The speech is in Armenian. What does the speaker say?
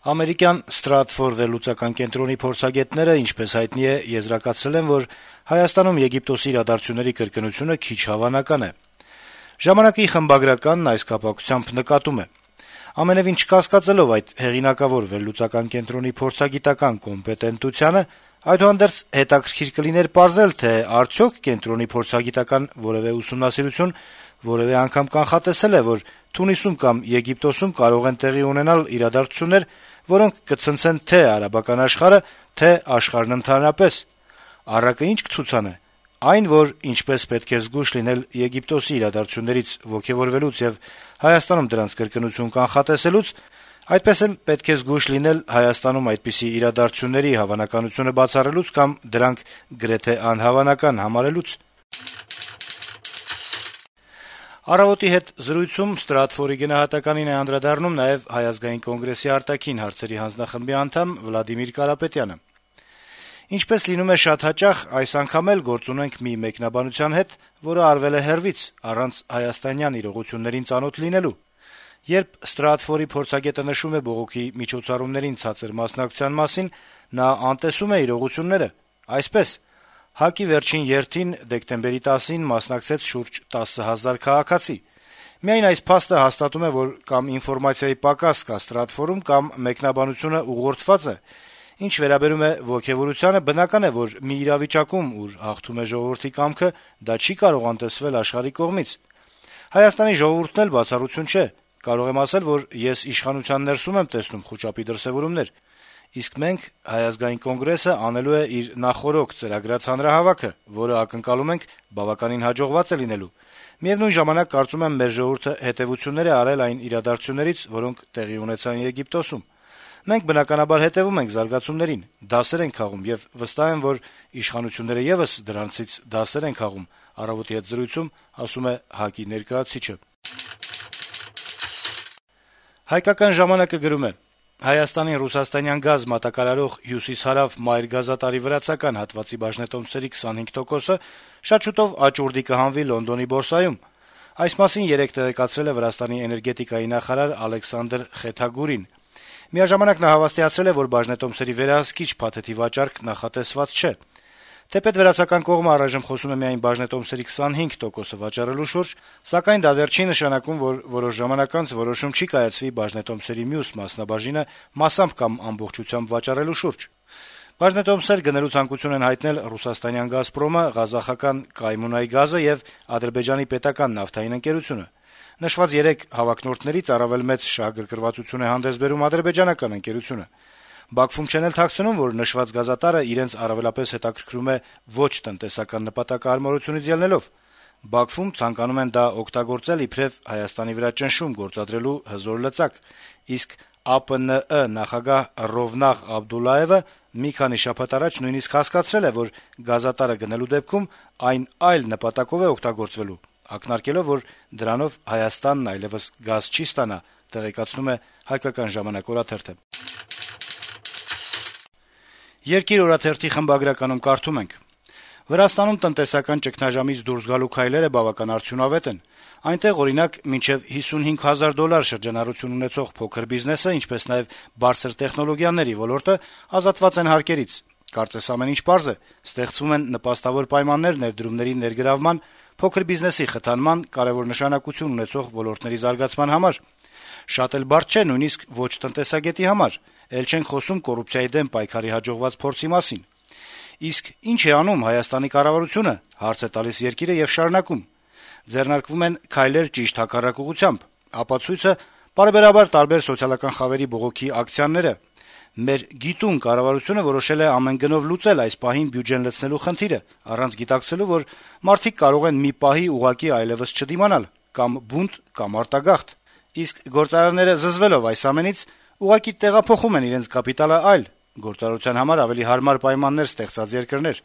Ամերիկյան Stratfor վերլուծական կենտրոնի փորձագետները, ինչպես հայտնի է, եզրակացրել են, որ Հայաստանում Եգիպտոսի իրադարձությունների կրկնությունը քիչ հավանական է։ «Ժամանակ»-ի խմբագրականն այս կապակցությամբ նկատում է. - «Ամենեւին չկասկածելով այդ հեղինակավոր վերլուծական կենտրոնի փորձագիտական կոմպետենտությանը, այդուհանդերձ հետաքրքիր կլիներ պարզել, թե արդյոք կենտրոնի փորձագիտական որեւէ ուսումնասիրություն որեւէ անգամ կանխատեսել է, որ Թունիսում կամ Եգիպտոսում կարող են տեղի ունենալ իրադարձություններ, որոնք կցնցեն թե արաբական աշխարհը, թե աշխարհն ընդհանրապես։ Առակը ինչ կցուցանե։ Այն, որ ինչպես պետք է զգույշ լինել Եգիպտոսի իրադարձություններից ոգեւորվելուց եւ Հայաստանում դրանց կրկնություն կանխատեսելուց, այդպես էլ պետք է զգույշ լինել Հայաստանում այդպիսի իրադարձությունների հավանականությունը բացառելուց կամ դրանք գրեթե անհավանական համարելուց»։ «Առավոտ»-ի հետ զրույցում Stratfor-ի գնահատականին է անդրադառնում նաեւ Հայ ազգային կոնգրեսի արտաքին հարցերի հանձնախմբի անդամ Վլադիմիր Կարապետյանը։ «Ինչպես լինում է շատ հաճախ, այս անգամ էլ գործ ունենք մի մեկնաբանության հետ, որը արվել է հեռվից, առանց հայաստանյան իրողություններին ծանոթ լինելու։ Երբ Stratfor-ի փորձագետը նշում է բողոքի միջոցառումներին ցածր մասնակցության մասին, նա անտեսում է իրողությունները։ Այսպես, ՀԱԿ-ի վերջին երթին դեկտեմբերի 10-ին մասնակցեց շուրջ 10,000 քաղաքացի։ Միայն այս փաստը հաստատում է, որ կամ ինֆորմացիայի պակաս կա Stratfor-ում, կամ մեկնաբանությունը ուղղորդված է։ Ինչ վերաբերում է ոգեւորությանը, բնական է, որ մի իրավիճակում, ուր հաղթում է ժողովրդի կամքը, դա չի կարող անտեսվել աշխարհի կողմից։ Հայաստանի ժողովուրդն էլ բացառություն չէ։ Կարող եմ ասել, որ ես իշխանության ներսում եմ տեսնում խուճապի դրսեւորումներ։ Իսկ մենք, Հայ ազգային կոնգրեսը, անելու է իր նախօրոք ծրագրած հանրահավաքը, որը ակնկալում ենք բավականին հաջողված է լինելու։ Միևնույն ժամանակ կարծում եմ, մեր ժողովուրդը հետեւություններ է արել այն իրադարձություններից, որոնք տեղի ունեցան Եգիպտոսում։ Մենք բնականաբար հետեւում ենք զարգացումներին, դասեր ենք քաղում եւ վստահ եմ, որ իշխանությունները եւս դրանցից դասեր են քաղում», «Առավոտ»-ի հետ զրույցում ասում է ՀԱԿ-ի ներկայացուցիչը։ «Հայկական ժամանակ»-ը գրում է. - «Հայաստանին ռուսաստանյան գազ մատակարարող Հյուսիս-Հարավ մայր գազատարի վրացական հատվածի բաժնետոմսերի 25%-ը շատ շուտով աճուրդի կհանվի Լոնդոնի բորսայում։ Այս մասին երեկ տեղեկացրել է Վրաստանի էներգետիկայի նախարար Ալեքսանդր Խեթագուրին։ Միաժամանակ նա հավաստիացրել է, որ բաժնետոմսերի վերահսկիչ փաթեթի վաճառք նախատեսված չէ։ Թեպետ վրացական կողմը առայժմ խոսում է միայն բաժնետոմսերի 25%-ը վաճառելու շուրջ, սակայն դա դեռ չի նշանակում, որ որոշ ժամանակ անց որոշում չի կայացվի բաժնետոմսերի մյուս մասնաբաժինը մասամբ կամ ամբողջությամբ վաճառելու շուրջ։ Բաժնետոմսեր գնելու ցանկություն են հայտնել ռուսաստանյան «Գազպրոմը», ղազախական «Կայմունայ գազը» եւ Ադրբեջանի պետական նավթային ընկերությունը։ Նշված երեք հավակնորդներից առավել մեծ շահագրգռվածություն է հանդես բերում ադրբեջանական ընկերությունը։ Բաքվում չեն էլ թաքցնում, որ նշված գազատարը իրենց առավելապես հետաքրքրում է ոչ տնտեսական նպատակահարմարությունից ելնելով։ Բաքվում ցանկանում են դա օգտագործել իբրև Հայաստանի վրա ճնշում գործադրելու հզոր լծակ, իսկ ԱՊՆ նախագահ Ռովնաղ Աբդուլլաևը մի քանի շաբաթ առաջ նույնիսկ հասկացրել է, որ գազատարը գնելու դեպքում այն այլ նպատակով է օգտագործվելու, ակնարկելով, որ դրանով Հայաստանն այլեւս գազ չի ստանա, տեղեկացնում է «Հայկական ժամանակ» օրաթերթը։ «Երկիր» օրաթերթի խմբագրականում կարդում ենք. - «Վրաստանում տնտեսական ճգնաժամից դուրս գալու քայլերը բավական արդյունավետ են։ Այնտեղ, օրինակ, մինչեւ $55,000 շրջանառություն ունեցող փոքր բիզնեսը, ինչպես նաեւ բարձր տեխնոլոգիաների ոլորտը ազատված են հարկերից։ Կարծես ամեն ինչ պարզ է. ստեղծվում են նպաստավոր պայմաններ ներդրումների ներգրավման, փոքր բիզնեսի խթանման, կարեւոր նշանակություն ունեցող ոլորտների զարգացման համար։ Շատ էլ բարդ չէ, նույնիսկ ոչ տնտեսագետի համար, էլ չենք խոսում կոռուպցիայի դեմ պայքարի հաջողված փորձի մասին։ Իսկ ի՞նչ է անում Հայաստանի կառավարությունը, հարց է տալիս Երկիրը եւ շարունակում. ձեռնարկվում են քայլեր ճիշտ հակառակ ուղղությամբ։ Ապացույցը պարբերաբար տարբեր սոցիալական խավերի բողոքի ակցիաները։ Մեր գիտուն կառավարությունը որոշել է ամեն գնով լուծել այս պահին բյուջեն լցնելու խնդիրը, առանց գիտակցելու, որ մարդիկ կարող են մի պահի ուղղակի այլեւս չդիմանալ, կամ բունտ, կամ արտագաղթ։ Իսկ գործարանները զզվելով այս ամենից ուղղակի տեղափոխում են իրենց կապիտալը այլ, գործարարության համար ավելի հարմար պայմաններ ստեղծած երկրներ։